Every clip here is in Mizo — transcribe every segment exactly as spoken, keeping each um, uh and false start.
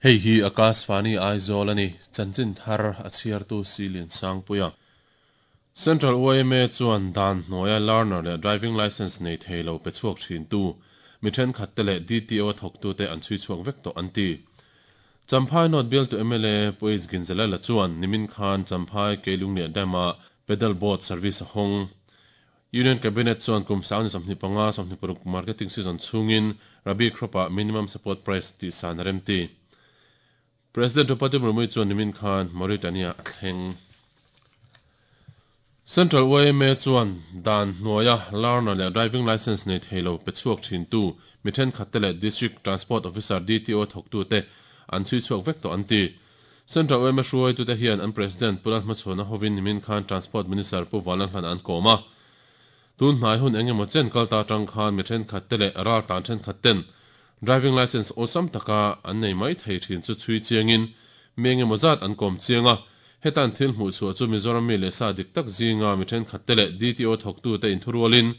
Hei hi Akashvani Aizawl ani chanchin thar a chhiartu Silian Sangpuia. Central Y M A chuan dan hnuaia learner leh driving license nei theilo pe chhuak thin tu mi thenkhat te leh D T O thawktu te an chhui chhuak vek tawh an ti. Champhai North Bial tu M L A Pu H Ginzalala chuan Nimin Khan Champhai Keilung leh Dama pedal boat service a hawng. Union Cabinet chuan kum sang ni sawmhnih panga sawmhnih paruk marketing season chhungin Rabi crop-ah minimum support price tih san a rem ti. President Draupadi Murmu chuan Nimin Khan Mauritania a thleng. Central Y M A chuan dan hnuaia learner leh driving license nei theilo pe chhuak thin tu mi thenkhat te leh District Transport Officer D T O thawktu te an chhui chhuak vek tawh an ti. Central Y M A hruai tu te hian an President Pulan Hmachhuana hovin Nimin Khan Transport Minister Pu Valan Hlan an kawm a. Tun hnai hun engemaw chen kalta tang khan mi thenkhat te leh ral tlan thenkhat ten driving license awlsam taka an nei mai thei thin chu chhui chiangin mi engemaw zat an kawm chianga. Hetan thil hmuh chhuah chu Mizoram mi leh sa dik tak zinga mi thenkhat te leh D T O thawktu te inthurualin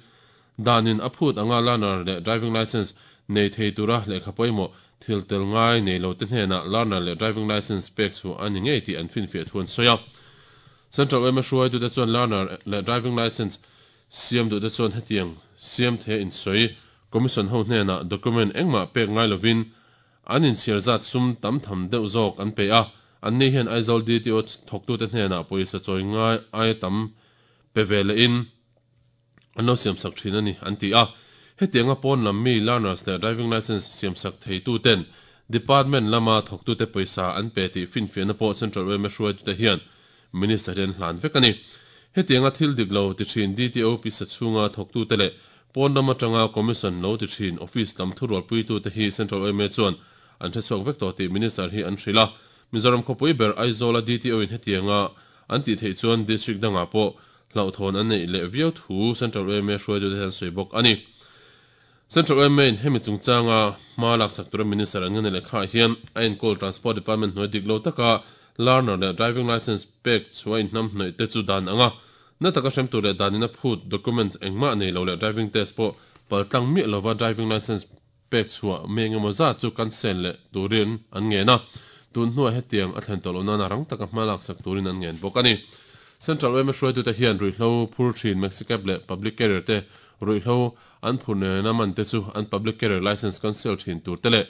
danin a phut anga learner leh driving license nei thei tura lehkha pawimawh thil tel ngai nei lo te hnenah learner leh driving license pek chu ani ngei tih an finfiah thu an sawi a. Central Y M A hruai tu te chuan learner leh driving license siam duh te chuan hetiang siam the in sawi commission ho hnenah document engmah pek ngai lovin an inchhiar zat sum tam tham deuh zawk an pe a. An ni hian Aizawl D T O thawktu te hnenah pawisa chawi ngai ai tam pe ve le in an lo siam sak thin ani an ti a. Hetianga pawn lam mi learners leh driving license siam sak thei tu ten department lama thawktu te pawisa an pe tih finfiahna pawh Central Y M A hruai tu te hian minister hian hlan vek ani. Hetianga thil dik lo ti thin D T O pisa chhunga thawktu te leh pawn lama tanga commission lo ti thin office lam thurual pui tu te hi Central Y M A chuan an hre chhuak vek tawh tih minister hi an hrilh a. Mizoram khawpui ber Aizawla D T O in hetianga an tih theih chuan district dangah pawh hlauhthawn an nei leh viau thu Central Y M A hruai tu te hian sawi bawk ani. Central Y M A in hemi chungchanga hma lak chak tura minister an nge leh kha hian a enkawl Transport Department hnuai dik lo taka learner leh driving license pek chhuah in hnam hnaih te chu dan anga na taka hrem tur leh danin a phut documents engmah nei lo leh driving test pawh paltlang miah lova driving license pek chhuah mi engemaw zat chu cancel leh turin an ngen a. Tun hnuah hetiang a thlen tawh lo nana rang taka hma lak sak turin an ngen bawk ani. Central Y M A hruai tu te hian ruihhlo phur thin Maxicab leh public carrier te ruihhlo an phur nena man te chu an public carrier license cancel thin tur te leh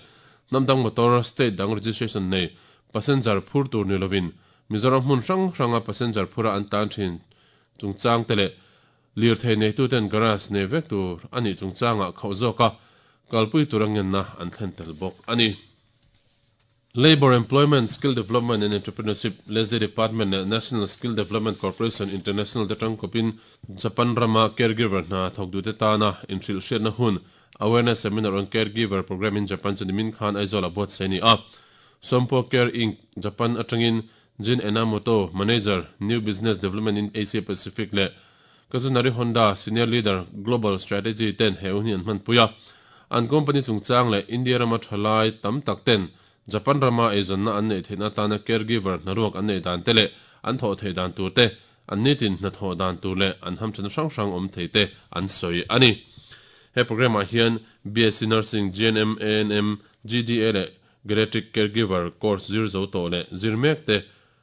hnamdang motor state dang registration nei passenger phur tur ni lovin Mizoram hmun hrang hranga passenger phura an tan thin chungchang te leh lir thei nei tu ten garage nei vek tur ani chungchanga khauh zawka kalpui tur angenna an thlen tel bawk ani. Labor Employment, Skill Development and Entrepreneurship Leslie Department leh National Skill Development Corporation International te tangkawpin Japan rama caregiver hna thawk te tana inhrilh hriatna hun Awareness Seminar on Caregiver Program in Japan chu Nimin Khan Aizawl a buat sei ni a. Sompo Care Incorporated. Japan atangin Jin Enamoto, Manager, New Business Development in Asia Pacific leh Kazunari Honda, Senior Leader, Global Strategy ten he hun hi an hman pui a. An company chungchang leh India rama thalai tam tak ten Japan rama eizonna an nei theihna tana caregiver hnaruak an nei dan te leh an thawh thei dan tur te an nitin hna thawh dan tur leh an hamthan hrang hrang awm thei te an sawi ani. He program ah hian B S C Nursing, G N M, A N M, G D A leh Geriatric Caregiver course zir zo tawh leh zir mek te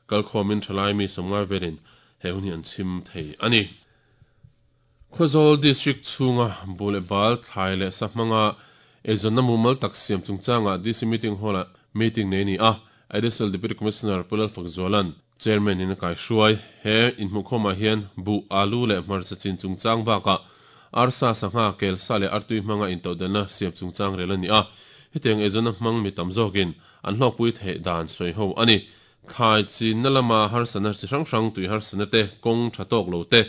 kalkhawmin thalai mi sawmngai velin he hun hi an chhim thei ani. Khawzawl District chhunga bul bal thlai leh sahmanga eizonna mumal tak siam chungchanga D C meeting hall ah meeting nei ni a. Additional Deputy Commissioner Pulal Fakzolan Chairman in a kai hruai he inhmuh khawmah hian bu alu leh hmarcha chin chungchang bakah arsa sangha kel sa leh artui hmanga intodelna siam chungchang rel ani a. Hetiang eizonna hmang mi tam zawkin an hlawkpui theih dan sawi ho ani. Thlai chin na lama harsana chi hrang hrang tui harsana te kawng tha tawk lo te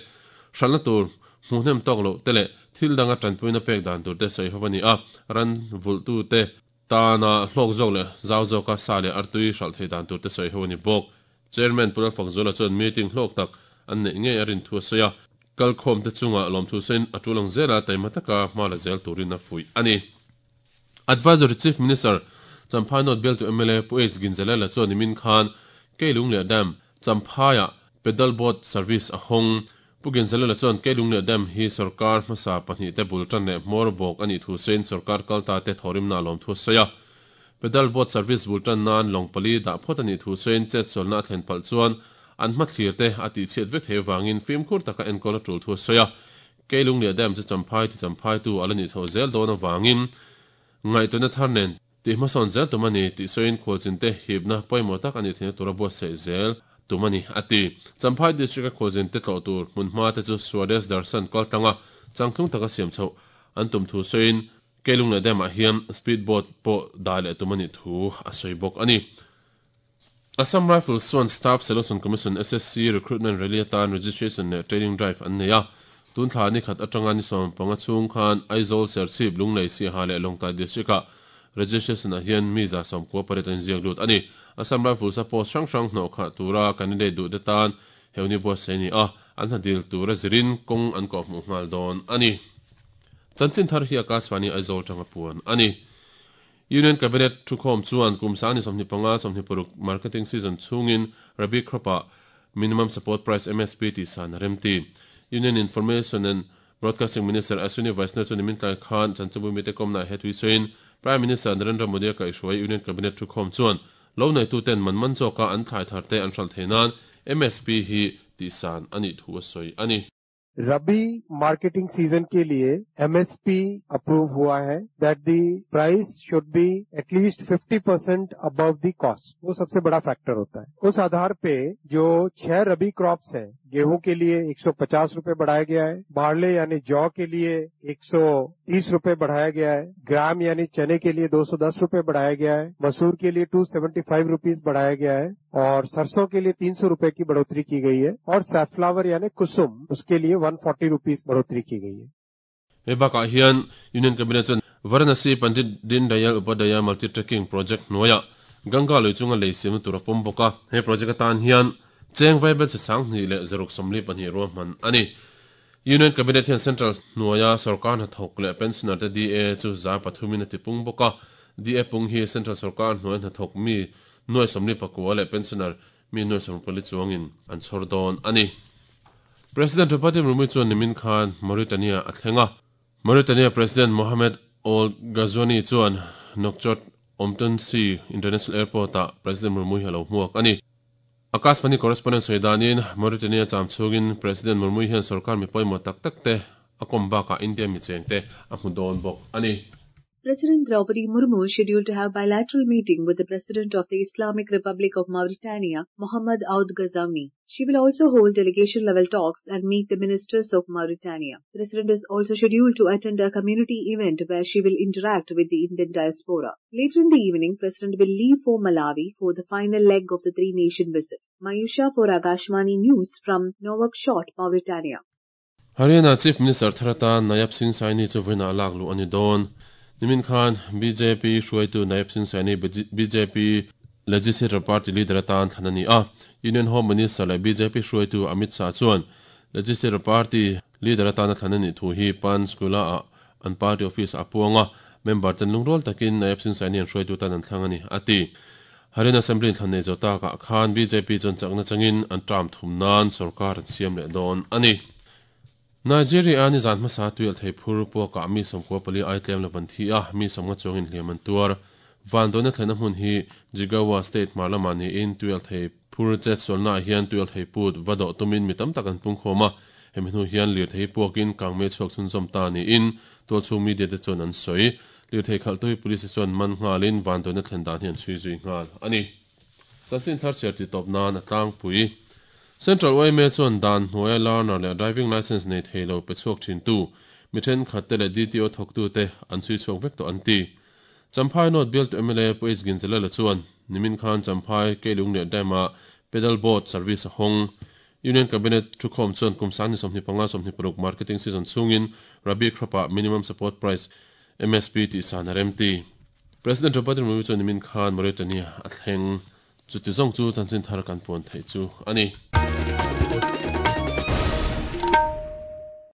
hranna tur hmuhnem tawk lo te leh thil danga tanpuina pek dan tur te sawi ho ani a. Ran vultu te tana hlawk zawk leh zau zawka sa leh artui hral thei dan tur te sawi ho ani bawk. Chairman Pulal Fakzola chuan meeting hlawk tak an nei ngei a rin thu a sawi a. Kalkhawm te chunga lawm thu sawiin a tulang zela taima taka hma la zel turin a fuih ani. Advisory Chief Minister Champhai North Bial tu M L A Pu H Ginzalala chuan Nimin Khan Keilung leh Dam Champhaiah pedal boat service a hawng. Pu Ginzalala chuan Keilungliah Dam hi sorkar hmasa pahnih te bul tan leh hmawr bawk a nih thu sawiin sorkar kalta te thawrimna a lawm thu a sawi a. Pedal boat service bul tan nan lawng pali dah phawt a nih thu sawiin chet sualna a thlen palh chuan an hmathlir te a tihchhiat vek thei avangin fimkhur taka enkawl a tul thu a sawi a. Keilungliah Dam chu Champhai ti Champhai tu a la nih chhoh zel dawn avangin ngaihtuahna thar nen tih hmasawn zel tum a ni tih sawiin khualchin te hipna pawimawh tak a nih theihna tura buatsaih zel tum a ni a ti. Champhai District a khualzin te tlawh tur hmunhma te chu Swadesh Darshan kaltlanga changtlung taka siam chhoh an tum thu sawiin Keilungliah Dam ah hian speed boat pawh dah leh tum a nih thu a sawi bawk a ni. Assam Rifles chuan Staff Selection Commission S S C recruitment rally atan registration leh training drive an nei a. Tun thla ni khat atanga ni sawm panga chhung khan Aizawl, Serchhip, Lunglei, Siaha leh Lawngtlai District ah registration ah hian mi za sawmkua pariat an inziak lut a ni. Assam Rifles a post hrang hrang hnawh khah tura candidate duh te tan heuni buatsaih a ni a, an hnadil tura zirin kawng an kawh hmuh nghal dawn a ni. Chanchin thar hi Akashvani Aizawl tanga puan a ni. Union Cabinet thukhawm chuan kum sang ni sawmhnih panga sawmhnih paruk marketing season chhungin Rabi crop ah minimum support price M S P tih san a rem ti. Union Information and Broadcasting Minister Ashwini Vaishnaw chu nimin tlai khan chanchinbu mite kawmna he tui sawiin Prime Minister Narendra Modi a kaihhruai Union Cabinet thukhawm chuan lo neitu ten man man zawka an thlai thar te an hral thei nan M S P hi tih san a nih thu a sawi a ni. Rabi marketing season के लिए M S P approve हुआ है that the price should be at least fifty percent above the cost, वो सबसे बड़ा factor होता है। उस आधार पे जो छह रबी क्रॉप्स हैं, गेहूं के लिए एक सौ पचास रुपए बढ़ाया गया है, बार्ले यानी जौ के लिए एक सौ तीस रुपए बढ़ाया गया है, ग्राम यानी चने के लिए दो सौ दस रुपए बढ़ाया गया है, मसूर के लिए to seventy five rupees बढ़ाया गया है और सरसों के लिए तीन सौ रुपए की बढ़ोतरी की गई है और सैफलावर यानी कुसुम उसके लिए one forty rupees बढ़ोतरी की गई है। He bakah hian Union Cabinet chuan Varanasi Pandit Deen Dayal Upadhyaya Multi Trekking Project hnuaia Ganga lui chunga lei siamna tur a pawm bawk a. He project atan hian cheng vaibel chi sang hnih leh zaruk sawmli pahnih ruahman a ni. Union Cabinet hian Central hnuaia sarkar hnathawk leh pensioner te D A chu za pathumin a ti pung bawk a. D A pung hi Central sarkar hnuai hnathawk mi nuai sawmli pakua leh pensioner mi nuai sawm pali chuangin an chhawr dawn a ni. President Draupadi Murmu chuan nimin khan Mauritania a thlenga. Mauritania President Mohamed Ould Ghazouani chuan Nouakchott Omtonsi International Airport ah President Murmu hi a lo hmuak a ni. Akashvani correspondent sawidanin Mauritania cham chhungin President Murmu hian sarkar mi pawimawh tak tak te a kawm bakah India mi cheng te a hmu dawn bawk a ni. President Draupadi Murmu is scheduled to have bilateral meeting with the President of the Islamic Republic of Mauritania, Mohamed Ould Ghazouani. She will also hold delegation-level talks and meet the ministers of Mauritania. The President is also scheduled to attend a community event where she will interact with the Indian diaspora. Later in the evening, President will leave for Malawi for the final leg of the three-nation visit. Mayusha for Akashvani News from Nouakchott, Mauritania. Haryana Chief Minister Tharata Nayab Singh Saini chu vawiinah lak luh a ni dawn. Nimin Khan B J P hruaitu Nayab Singh Saini B J P Legislature Party leader atan thlan a ni a. Union Home Minister leh B J P hruaitu Amit Shah chuan Legislature Party leader atan a thlan a nih thu hi Panchkula ah an party office a puanga member ten lungrawl takin Nayab Singh Saini an hruaitu tan an thlang a ni a ti. Haryana Assembly thlan nei zo takah khan B J P chuan chakna changin an term thum nan sarkar an siam leh dawn a ni. Nigeria ni zan hmasa tuil thei phur puaka mi sawmkua pali ai tlem lavan thi a mi sawmnga chuangin hliam an tuar. Van dawna thlena hmun hi Jigawa State marlama ni in tuil thei phur chet sualna hian tuil thei put vado tumin mi tam tak an pung khawm a. Hemi hnu hian lir thei puakin kangme chhuak chhun zawm ta ni in tual chhung media te chuan an sawi. Lir thei khalh tu hi police chuan man nghalin van dawna thlen dan hi an chhui zui nghal a ni. Chanchin thar chhiar ti tawp nan a tlangpui. Central Y M A chuan dan hnuaia learner leh driving license nei thei lo pe chhuak thin tu mi thenkhat te leh D T O thawk tu te an chhui chhuak vek tawh an ti. Champhai North Bial to M L A Pu H Ginzalala chuan nimin khan Champhai Keilungliah Dam ah pedal boat service a hawng. Union Cabinet thukhawm chuan kum sang ni sawmhnih panga sawmhnih paruk marketing season chhungin Rabi crop ah minimum support price M S P tih san a rem ti. President Draupadi Murmu chuan nimin khan Mauritania a thleng. Chuti zawng chu chanchin thar kan puan thei chu a ni.